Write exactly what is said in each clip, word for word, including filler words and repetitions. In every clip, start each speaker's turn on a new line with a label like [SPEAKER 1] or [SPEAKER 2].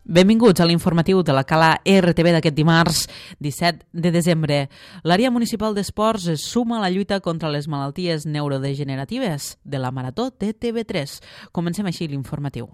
[SPEAKER 1] Benvinguts a l'informatiu de la Cala R T V d'aquest dimarts disset de desembre. L'àrea municipal d'esports es suma a la lluita contra les malalties neurodegeneratives de la Marató de T V tres. Comencem així l'informatiu.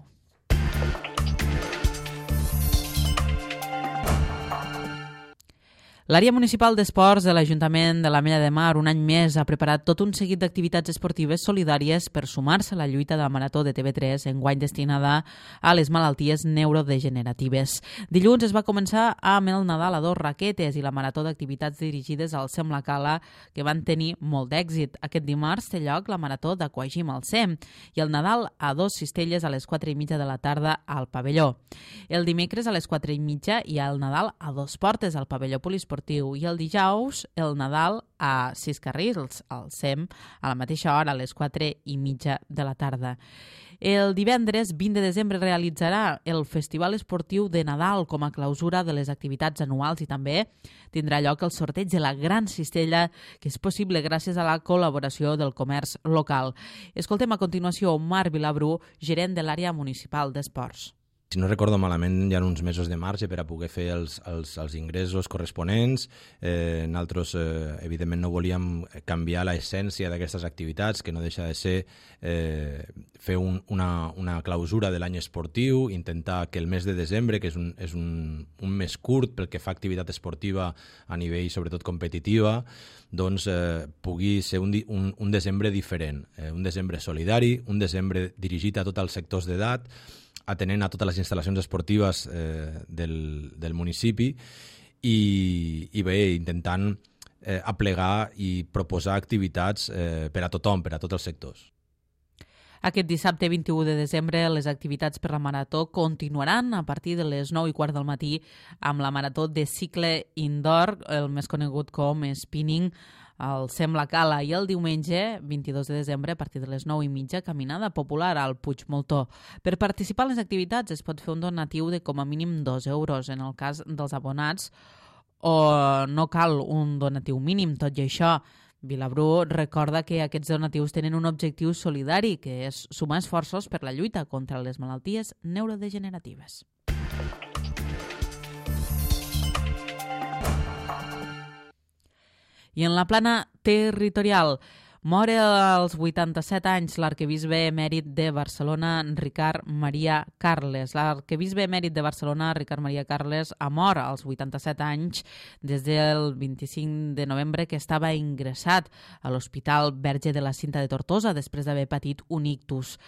[SPEAKER 1] L'àrea municipal d'esports de l'Ajuntament de l'Ametlla de Mar un any més ha preparat tot un seguit d'activitats esportives solidàries per sumar-se a la lluita de la Marató de T V tres, enguany destinada a les malalties neurodegeneratives. Dilluns es va començar amb el Nadal a dos raquetes i la Marató d'activitats dirigides al SEM La Cala, que van tenir molt d'èxit. Aquest dimarts té lloc la Marató d'Aquagym al SEM i el Nadal a dos cistelles a les quatre i mitja de la tarda al pavelló. El dimecres a les quatre i mitja hi ha el Nadal a dos portes al pavelló polisportiu i el dijous el Nadal a sis carrils al SEM a la mateixa hora, a les quatre i mitja de la tarda. El divendres vint de desembre realitzarà el Festival Esportiu de Nadal com a clausura de les activitats anuals i també tindrà lloc el sorteig de la Gran Cistella, que és possible gràcies a la col·laboració del comerç local. Escoltem a continuació Marc Vilabrú, gerent de l'àrea municipal d'esports.
[SPEAKER 2] Si no recordo malament, hi ha uns mesos de marge per a poder fer els, els, els ingressos corresponents. Eh, nosaltres, eh, evidentment, no volíem canviar l'essència d'aquestes activitats, que no deixa de ser eh, fer un, una, una clausura de l'any esportiu, intentar que el mes de desembre, que és, un, és un, un mes curt pel que fa a activitat esportiva a nivell, sobretot, competitiva, doncs eh, pugui ser un, un, un desembre diferent, eh, un desembre solidari, un desembre dirigit a tots els sectors d'edat, atenent a totes les instal·lacions esportives eh, del, del municipi i, i bé, intentant eh, aplegar i proposar activitats eh, per a tothom, per a tots els sectors.
[SPEAKER 1] Aquest dissabte vint-i-u de desembre les activitats per la Marató continuaran a partir de les nou i quart del matí amb la Marató de cicle indoor, el més conegut com spinning, al SEM La Cala, i el diumenge vint-i-dos de desembre a partir de les nou i mitja caminada popular al Puig Moltó. Per participar en les activitats es pot fer un donatiu de com a mínim dos euros en el cas dels abonats, o no cal un donatiu mínim. Tot i això, Vilabrú recorda que aquests donatius tenen un objectiu solidari, que és sumar esforços per la lluita contra les malalties neurodegeneratives. I en la plana territorial, mor als vuitanta-set anys l'arquebisbe emèrit de Barcelona, Ricard Maria Carles. L'arquebisbe emèrit de Barcelona, Ricard Maria Carles, ha mort als vuitanta-set anys des del vint-i-cinc de novembre, que estava ingressat a l'Hospital Verge de la Cinta de Tortosa després d'haver patit un ictus.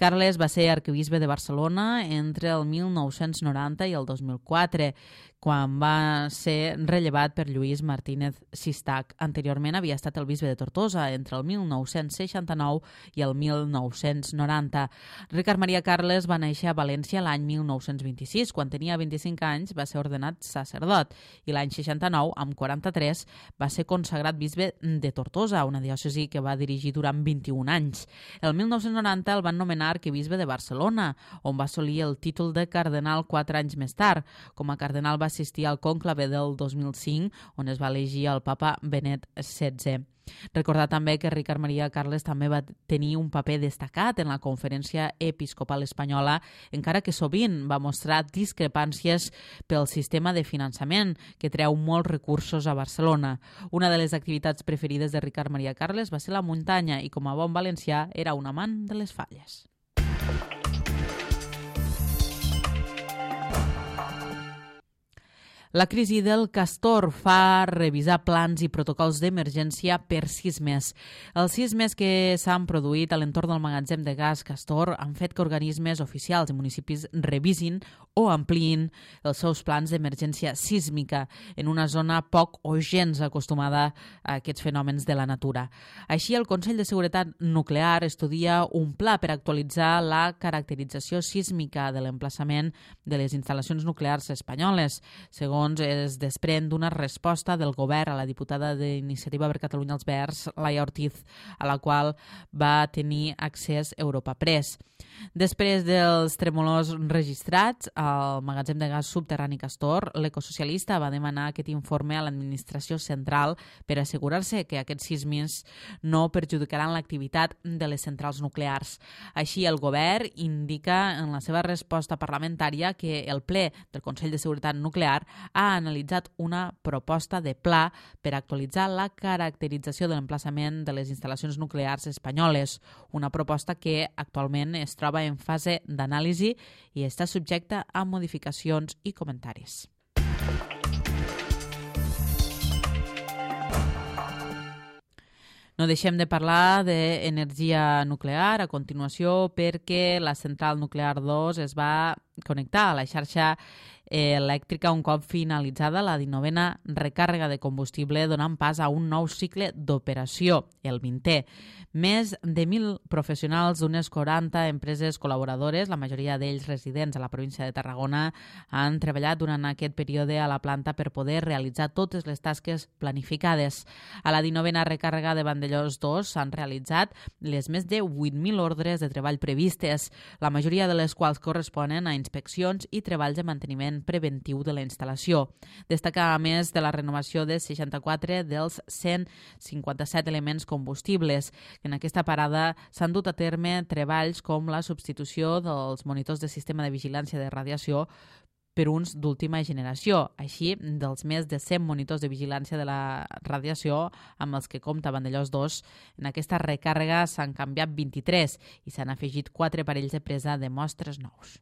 [SPEAKER 1] Carles va ser arquebisbe de Barcelona entre el mil nou-cents noranta i el dos mil quatre, quan va ser rellevat per Lluís Martínez Sistac. Anteriorment havia estat el bisbe de Tortosa entre el mil nou-cents seixanta-nou i el mil nou-cents noranta. Ricard Maria Carles va néixer a València l'any mil nou-cents vint-i-sis. Quan tenia vint-i-cinc anys va ser ordenat sacerdot i l'any seixanta-nou, amb quaranta-tres, va ser consagrat bisbe de Tortosa, una diòcesi que va dirigir durant vint-i-un anys. El mil nou-cents noranta el van nomenar arquebisbe de Barcelona, on va assolir el títol de cardenal quatre anys més tard. Com a cardenal va assistir al conclave del dos mil cinc, on es va elegir el papa Benet setze. Recordar també que Ricard Maria Carles també va tenir un paper destacat en la Conferència Episcopal Espanyola, encara que sovint va mostrar discrepàncies pel sistema de finançament, que treu molts recursos a Barcelona. Una de les activitats preferides de Ricard Maria Carles va ser la muntanya i, com a bon valencià, era un amant de les falles. La crisi del Castor fa revisar plans i protocols d'emergència per sismes. Els sismes que s'han produït a l'entorn del magatzem de gas Castor han fet que organismes oficials i municipis revisin o ampliïn els seus plans d'emergència sísmica en una zona poc o gens acostumada a aquests fenòmens de la natura. Així, el Consell de Seguretat Nuclear estudia un pla per actualitzar la caracterització sísmica de l'emplaçament de les instal·lacions nuclears espanyoles. Segons segons es desprèn d'una resposta del govern a la diputada d'Iniciativa per Catalunya els Verds, Laia Ortiz, a la qual va tenir accés Europa Press. Després dels tremolors registrats al magatzem de gas subterrani Castor, l'ecosocialista va demanar aquest informe a l'administració central per assegurar-se que aquests sismes no perjudicaran l'activitat de les centrals nuclears. Així, el govern indica en la seva resposta parlamentària que el ple del Consell de Seguretat Nuclear ha analitzat una proposta de pla per actualitzar la caracterització de l'emplaçament de les instal·lacions nuclears espanyoles, una proposta que actualment es troba en fase d'anàlisi i està subjecta a modificacions i comentaris. No deixem de parlar d'energia nuclear a continuació perquè la central nuclear dos es va connectar a la xarxa elèctrica un cop finalitzada la dinovena recàrrega de combustible, donant pas a un nou cicle d'operació, el vintè. Més de mil professionals d'unes quaranta empreses col·laboradores, la majoria d'ells residents a la província de Tarragona, han treballat durant aquest període a la planta per poder realitzar totes les tasques planificades. A la dinovena recàrrega de Vandellòs dos s'han realitzat les més de vuit mil ordres de treball previstes, la majoria de les quals corresponen a inspeccions i treballs de manteniment preventiu de la instal·lació. Destaca a més de la renovació de seixanta-quatre dels cent cinquanta-set elements combustibles. En aquesta parada s'han dut a terme treballs com la substitució dels monitors de sistema de vigilància de radiació per uns d'última generació, així dels més de cent monitors de vigilància de la radiació amb els que compta Vandellòs dos. En aquesta recàrrega s'han canviat vint-i-tres i s'han afegit quatre parells de presa de mostres nous.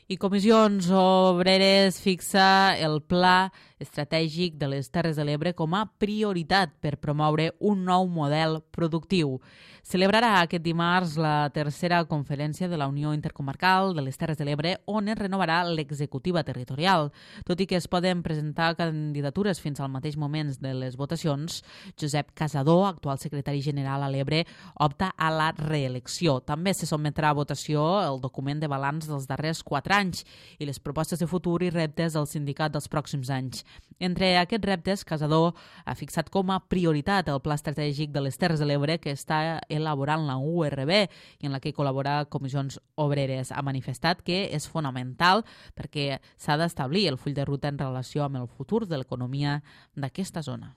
[SPEAKER 1] I Comissions Obreres fixa el Pla Estratègic de les Terres de l'Ebre com a prioritat per promoure un nou model productiu. Celebrarà aquest dimarts la tercera conferència de la Unió Intercomarcal de les Terres de l'Ebre, on es renovarà l'executiva territorial. Tot i que es poden presentar candidatures fins al mateix moment de les votacions, Josep Casador, actual secretari general a l'Ebre, opta a la reelecció. També se sotmetrà a votació el document de balanç dels darrers quatre anys i les propostes de futur i reptes del sindicat dels pròxims anys. Entre aquests reptes, Casador ha fixat com a prioritat el Pla Estratègic de les Terres de l'Ebre que està elaborant la U R B i en la que col·labora Comissions Obreres. Ha manifestat que és fonamental perquè s'ha d'establir el full de ruta en relació amb el futur de l'economia d'aquesta zona.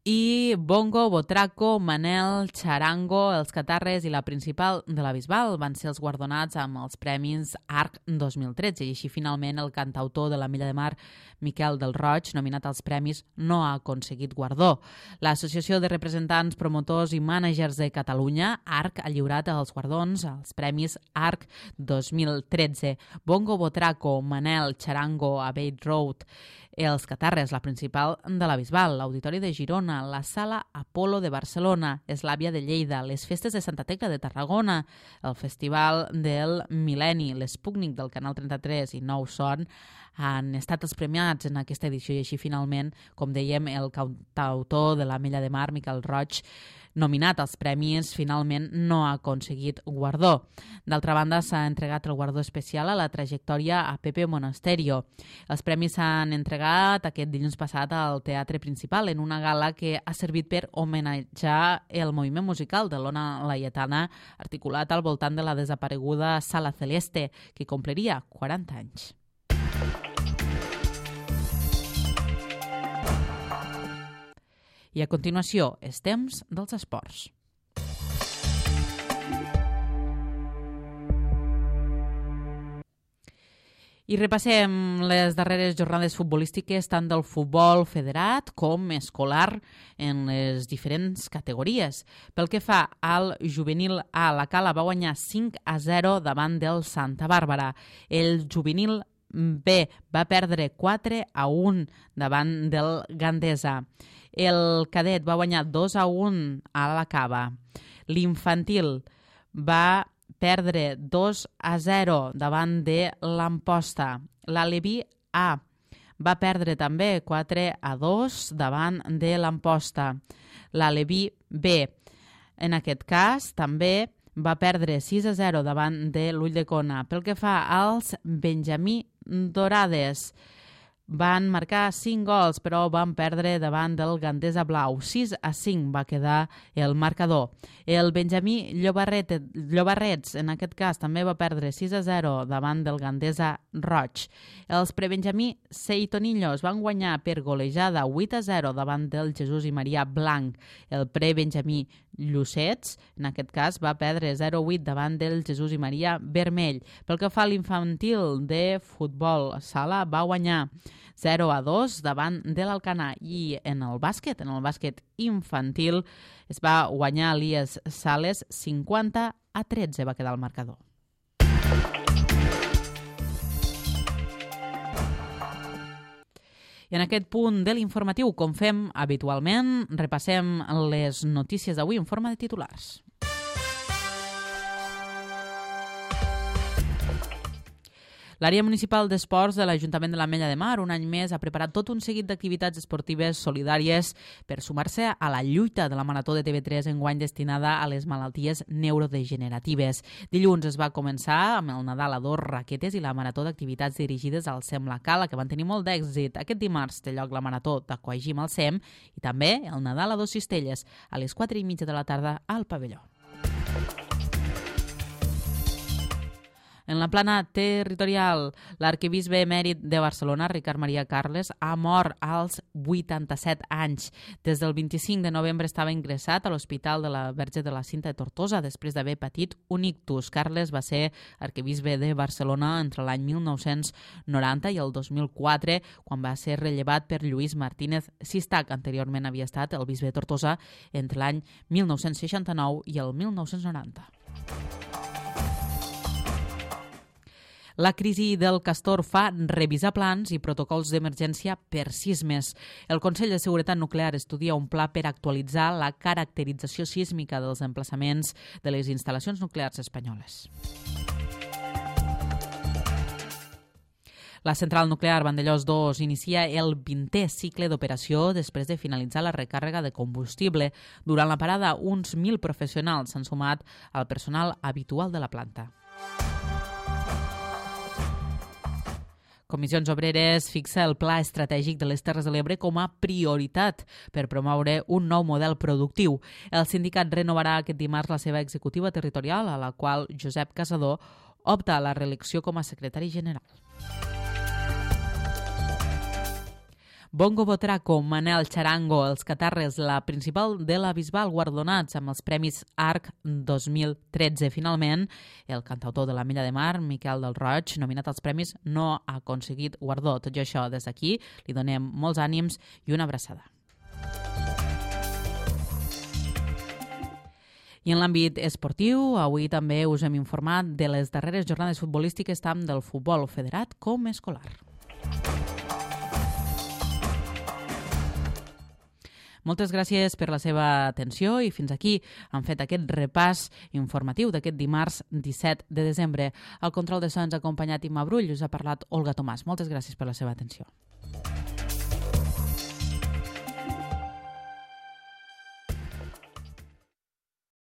[SPEAKER 1] I Bongo, Botraco, Manel, Charango, els Catarres i la Principal de la Bisbal van ser els guardonats amb els Premis Arc dos mil tretze i així finalment el cantautor de la Milla de Mar, Miquel del Roig, nominat als premis, no ha aconseguit guardó. L'Associació de Representants, Promotors i Mànagers de Catalunya, Arc, ha lliurat els guardons als Premis Arc dos mil tretze. Bongo, Botraco, Manel, Charango, Abbey Road, els Catarres, la Principal de la Bisbal, l'Auditori de Girona, la Sala Apolo de Barcelona, Eslàvia de Lleida, les Festes de Santa Tecla de Tarragona, el Festival del Mil·lenni, l'Espúcnic del Canal trenta-tres i Nou Son han estat els premiats en aquesta edició i així finalment, com dèiem, el cantautor de la Milla de Mar, Miquel Roig, nominat als premis, finalment no ha aconseguit guardó. D'altra banda, s'ha entregat el guardó especial a la trajectòria a Pepe Monasterio. Els premis s'han entregat aquest dilluns passat al Teatre Principal en una gala que ha servit per homenatjar el moviment musical de l'Ona Laietana, articulat al voltant de la desapareguda Sala Celeste, que compliria quaranta anys. I a continuació, els temps dels esports. I repassem les darreres jornades futbolístiques tant del futbol federat com escolar en les diferents categories. Pel que fa al juvenil A, la Cala va guanyar cinc a zero davant del Santa Bàrbara. El juvenil B va perdre quatre a un davant del Gandesa. El cadet va guanyar dos a un a la Cava. L'infantil va perdre dos a zero davant de l'Amposta. L'Aleví A va perdre també quatre a dos davant de l'Amposta. L'Aleví B, en aquest cas, també va perdre sis a zero davant de l'Ulldecona. Pel que fa als Benjamí Dorades, van marcar cinc gols, però van perdre davant del Gandesa Blau. sis a cinc va quedar el marcador. El Benjamí Llobarret, Llobarrets, en aquest cas, també va perdre sis a zero davant del Gandesa Roig. Els prebenjamí Seitonillos van guanyar per golejada vuit a zero davant del Jesús i Maria Blanc. El prebenjamí Llucets, en aquest cas, va perdre zero a vuit davant del Jesús i Maria Vermell. Pel que fa a l'infantil de futbol sala, va guanyar zero a dos davant de l'Alcanar. I en el bàsquet, en el bàsquet infantil, es va guanyar l'Ies Sales cinquanta a tretze, va quedar el marcador. I en aquest punt de l'informatiu, com fem habitualment, repassem les notícies d'avui en forma de titulars. L'àrea municipal d'esports de l'Ajuntament de l'Ametlla de Mar un any més ha preparat tot un seguit d'activitats esportives solidàries per sumar-se a la lluita de la Marató de T V tres enguany destinada a les malalties neurodegeneratives. Dilluns es va començar amb el Nadal a dos raquetes i la Marató d'activitats dirigides al SEM La Cala, que van tenir molt d'èxit. Aquest dimarts té lloc la Marató d'Aquagym al SEM i també el Nadal a Dos Cistelles a les quatre i mitja de la tarda al pavelló. En la plana territorial, l'arquebisbe emèrit de Barcelona, Ricard Maria Carles, ha mort als vuitanta-set anys. Des del vint-i-cinc de novembre estava ingressat a l'Hospital de la Verge de la Cinta de Tortosa després d'haver patit un ictus. Carles va ser arquebisbe de Barcelona entre l'any mil nou-cents noranta i el dos mil quatre, quan va ser rellevat per Lluís Martínez Sistac. Anteriorment havia estat el bisbe de Tortosa entre l'any mil nou-cents seixanta-nou i el mil nou-cents noranta. La crisi del castor fa revisar plans i protocols d'emergència per sismes. El Consell de Seguretat Nuclear estudia un pla per actualitzar la caracterització sísmica dels emplaçaments de les instal·lacions nuclears espanyoles. La central nuclear Vandellòs dos inicia el vintè cicle d'operació després de finalitzar la recàrrega de combustible. Durant la parada, uns mil professionals s'han sumat al personal habitual de la planta. Comissions Obreres fixa el Pla Estratègic de les Terres de l'Ebre com a prioritat per promoure un nou model productiu. El sindicat renovarà aquest dimarts la seva executiva territorial, a la qual Josep Casador opta a la reelecció com a secretari general. Bongo Botraco, Manel Charango, els Catarres, la principal de la Bisbal, guardonats amb els Premis Arc dos mil tretze. Finalment, el cantautor de l'Ametlla de Mar, Miquel del Roig, nominat als premis, no ha aconseguit guardó. Tot i això, des d'aquí, li donem molts ànims i una abraçada. I en l'àmbit esportiu, avui també us hem informat de les darreres jornades futbolístiques tant del futbol federat com escolar. Moltes gràcies per la seva atenció i fins aquí han fet aquest repàs informatiu d'aquest dimarts disset de desembre. Al control de so ens ha acompanyat Imma Brull i us ha parlat Olga Tomàs. Moltes gràcies per la seva atenció.